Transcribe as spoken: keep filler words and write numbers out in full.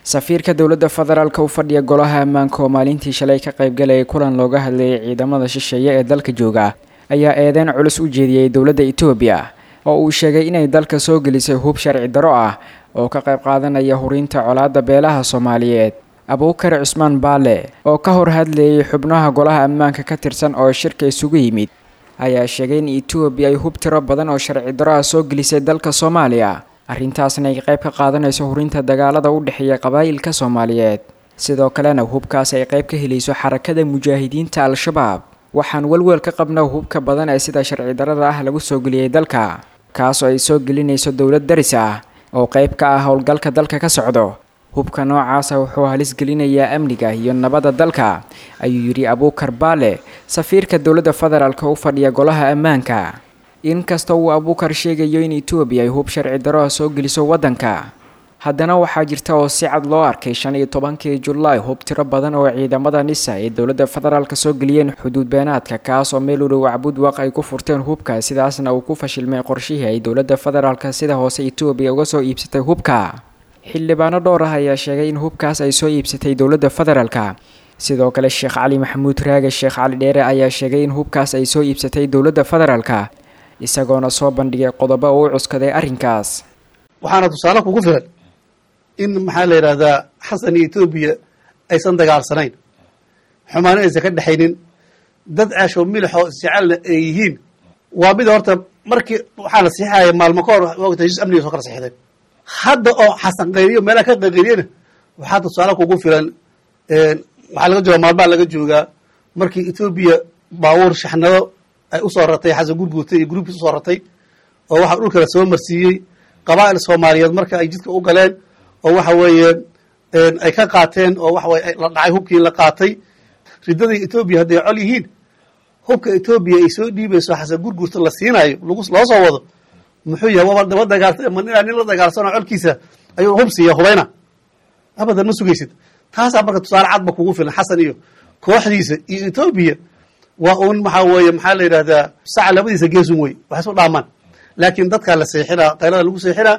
Safiirka dowladda federaalka u fadhiya golaha ammaanka oo maalintii shalay ka qaybgalayay kulan looga hadlayay ciidamada shisheeye ee dalka jooga ayaa eedeyn culus u jeediyey dowladda Itoobiya oo uu sheegay inay dalka soo gelisay hub sharci daro ah oo ka qayb qaadanaya hurinta colaadda beelaha Soomaaliyeed. Abuukar Cusmaan Baale oo ka hor hadlayay xubnaha golaha ammaanka ka tirsan oo shirka isugu yimid ayaa sheegay in Itoobiya ay hub tiro badan oo sharci daro ah soo gelisay dalka Soomaaliya, arrintaasna ay qayb ka qaadanayso hurinta dagaalada u dhexeeya qabaa'ilka Soomaaliyeed, sidoo kalena hubkaas ay qayb ka helayso Xarakada Mujaahidiinta Al-Shabaab. Waxaan welwel ka qabnaa hubka badan ee sida sharci darada ah lagu soo geliyey dalka, kaasoo ay soo gelinayso dowlad daris ah oo qayb ka ah howlgalka dalka ka socdo. Hubka noocaasa wuxuu halis gelinayaa amniga iyo nabadda dalka, ayuu yidhi Abuukar Baale, safiirka dowladda federaalka u fadhiya golaha ammaanka. Inkastoo uu Abuukar sheegayo in Itoobiya ay hub sharci daro ah soo geliso waddanka, haddana waxaa jirta oo si cad loo arkay shan iyo tobankii Julaay hub tiro badan oo ciidamada NISA ay dowladda federaalka soo geliyeen xuduud beenaadka, kaas oo meel u dhow Cabudwaq ay ku furteen hubka, sidaasna uu ku fashilmay qorshihii ay dowladda federaalka sida hoose Itoobiya uga soo iibsatay hubka. Xildhibaano dhowr ah ayaa sheegay in hubkaas ay soo iibsatay dowladda federaalka. Sidoo kale Sheekh Cali Maxamuud Raage Sheekh Cali Dheere ayaa sheegay in hubkaas ay soo iibsatay dowladda federaalka, isagoona soo bandhigay qodobo uu cuskaday arrinkaas. Waxaana tusaale kugu filan in maxaa la yidhahdaa Xasan iyo Etoobiya aysan dagaalsanayn, xumaana aysan ka dhexaynin, dad caasho milixoo isjecelna ay yihiin. Waa mid horta markii waxaa la siixaya maalmo ka hor wagta heshiis amniga soo kala sixdeen. Hadda oo Xasan qayriyo meelaha ka qayqayriyana waxaa tusaale kugu filan, waxaa laga joogaa maalmaha laga joogaa markii Etoobiya baabuur shaxnado ay usoo ratay Xasan Gurguurtay iyo gruubkiis usoo ratay oo waxaa dhulka la soo marsiiyey qabaa'il Soomaaliyeed marka ay jidka u galeen oo waxa weeye ay ka qaateen oo waxa weye la dhacay hubkii la qaatay. Riddadii Etoobiya hadday col yihiin, hubka Etoobiya ay soo dhiibayso Xasan Gurguurta la siinayo lagu loo soo wado muxuu yahay? Waaba daba dagaalsa ma inaa nin la dagaalsano colkiisa ayuu hub siiya hubayna? Abadan ma sugaysid. Taasaa marka tusaale cadba kugu filan Xasan iyo kooxdiisa iyo Etoobiya waa uun maxaa weeye maxaa la yidhahdaa saca labadiisa geesun wey, waxay isu dhaamaan. Laakiin dadkaa la seexinaa, qaylada lagu seexinaa.